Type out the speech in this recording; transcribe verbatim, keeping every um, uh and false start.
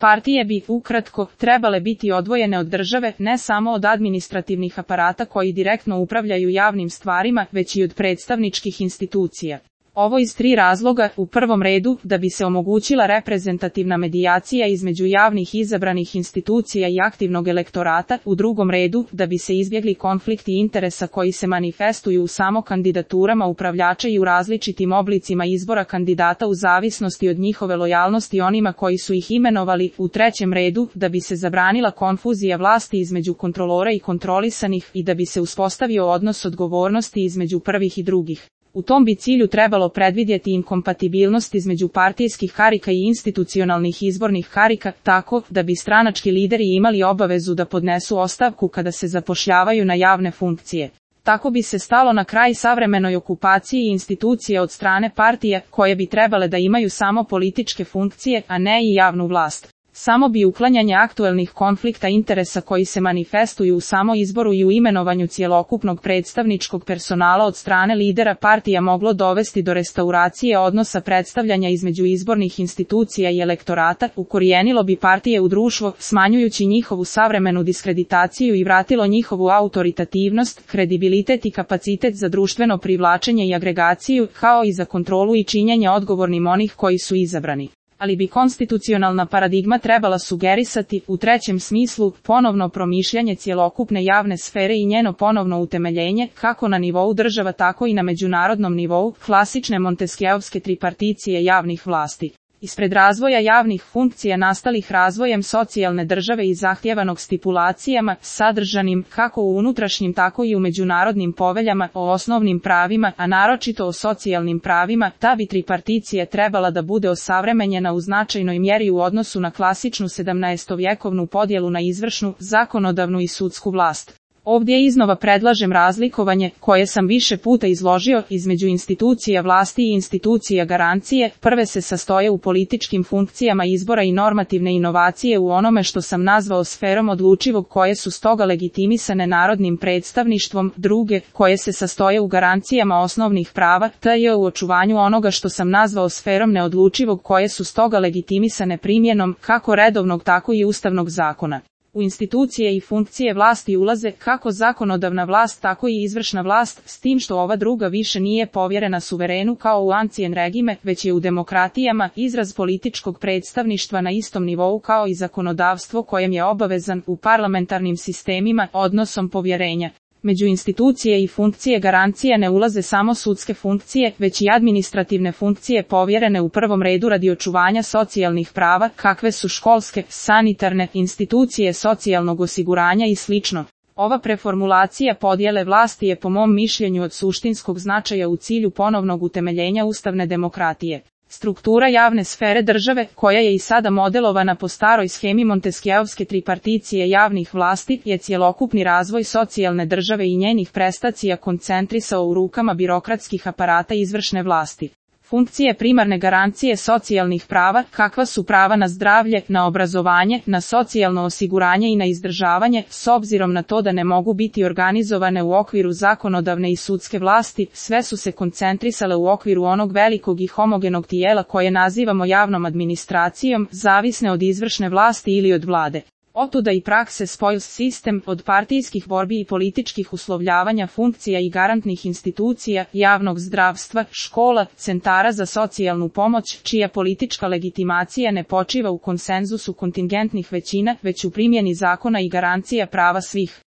Partije bi, ukratko, trebale biti odvojene od države, ne samo od administrativnih aparata koji direktno upravljaju javnim stvarima, već i od predstavničkih institucija. Ovo iz tri razloga: u prvom redu, da bi se omogućila reprezentativna medijacija između javnih izabranih institucija i aktivnog elektorata, u drugom redu, da bi se izbjegli konflikti interesa koji se manifestuju u samo kandidaturama upravljača i u različitim oblicima izbora kandidata u zavisnosti od njihove lojalnosti onima koji su ih imenovali, u trećem redu, da bi se zabranila konfuzija vlasti između kontrolora i kontrolisanih i da bi se uspostavio odnos odgovornosti između prvih i drugih. U tom bi cilju trebalo predvidjeti inkompatibilnost između partijskih karika i institucionalnih izbornih karika, tako da bi stranački lideri imali obavezu da podnesu ostavku kada se zapošljavaju na javne funkcije. Tako bi se stalo na kraj savremenoj okupaciji institucija od strane partije, koje bi trebale da imaju samo političke funkcije, a ne i javnu vlast. Samo bi uklanjanje aktuelnih konflikta interesa koji se manifestuju u samo izboru i u imenovanju cjelokupnog predstavničkog personala od strane lidera partija moglo dovesti do restauracije odnosa predstavljanja između izbornih institucija i elektorata, ukorijenilo bi partije u društvo, smanjujući njihovu savremenu diskreditaciju i vratilo njihovu autoritativnost, kredibilitet i kapacitet za društveno privlačenje i agregaciju, kao i za kontrolu i činjenje odgovornim onih koji su izabrani. Ali bi konstitucionalna paradigma trebala sugerisati, u trećem smislu, ponovno promišljanje cjelokupne javne sfere i njeno ponovno utemeljenje, kako na nivou država tako i na međunarodnom nivou, klasične monteskjeovske triparticije javnih vlasti. Ispred razvoja javnih funkcija nastalih razvojem socijalne države i zahtjevanog stipulacijama, sadržanim kako u unutrašnjim tako i u međunarodnim poveljama o osnovnim pravima, a naročito o socijalnim pravima, ta bi triparticija trebala da bude osavremenjena u značajnoj mjeri u odnosu na klasičnu sedamnaestovjekovnu podjelu na izvršnu, zakonodavnu i sudsku vlast. Ovdje iznova predlažem razlikovanje, koje sam više puta izložio, između institucija vlasti i institucija garancije. Prve se sastoje u političkim funkcijama izbora i normativne inovacije u onome što sam nazvao sferom odlučivog, koje su stoga legitimisane narodnim predstavništvom, druge, koje se sastoje u garancijama osnovnih prava, te u očuvanju onoga što sam nazvao sferom neodlučivog, koje su stoga legitimisane primjenom, kako redovnog tako i ustavnog zakona. U institucije i funkcije vlasti ulaze kako zakonodavna vlast tako i izvršna vlast, s tim što ova druga više nije povjerena suverenu kao u ancien regime, već je u demokratijama izraz političkog predstavništva na istom nivou kao i zakonodavstvo kojem je obavezan u parlamentarnim sistemima odnosom povjerenja. Među institucije i funkcije garancije ne ulaze samo sudske funkcije, već i administrativne funkcije povjerene u prvom redu radi očuvanja socijalnih prava, kakve su školske, sanitarne, institucije socijalnog osiguranja i sl. Ova preformulacija podjele vlasti je po mom mišljenju od suštinskog značaja u cilju ponovnog utemeljenja ustavne demokratije. Struktura javne sfere države, koja je i sada modelovana po staroj shemi monteskjeovske triparticije javnih vlasti, je cjelokupni razvoj socijalne države i njenih prestacija koncentrisao u rukama birokratskih aparata izvršne vlasti. Funkcije primarne garancije socijalnih prava, kakva su prava na zdravlje, na obrazovanje, na socijalno osiguranje i na izdržavanje, s obzirom na to da ne mogu biti organizovane u okviru zakonodavne i sudske vlasti, sve su se koncentrisale u okviru onog velikog i homogenog tijela koje nazivamo javnom administracijom, zavisne od izvršne vlasti ili od vlade. Otuda i prakse spoils sistem, od partijskih borbi i političkih uslovljavanja funkcija i garantnih institucija, javnog zdravstva, škola, centara za socijalnu pomoć, čija politička legitimacija ne počiva u konsenzusu kontingentnih većina, već u primjeni zakona i garancija prava svih.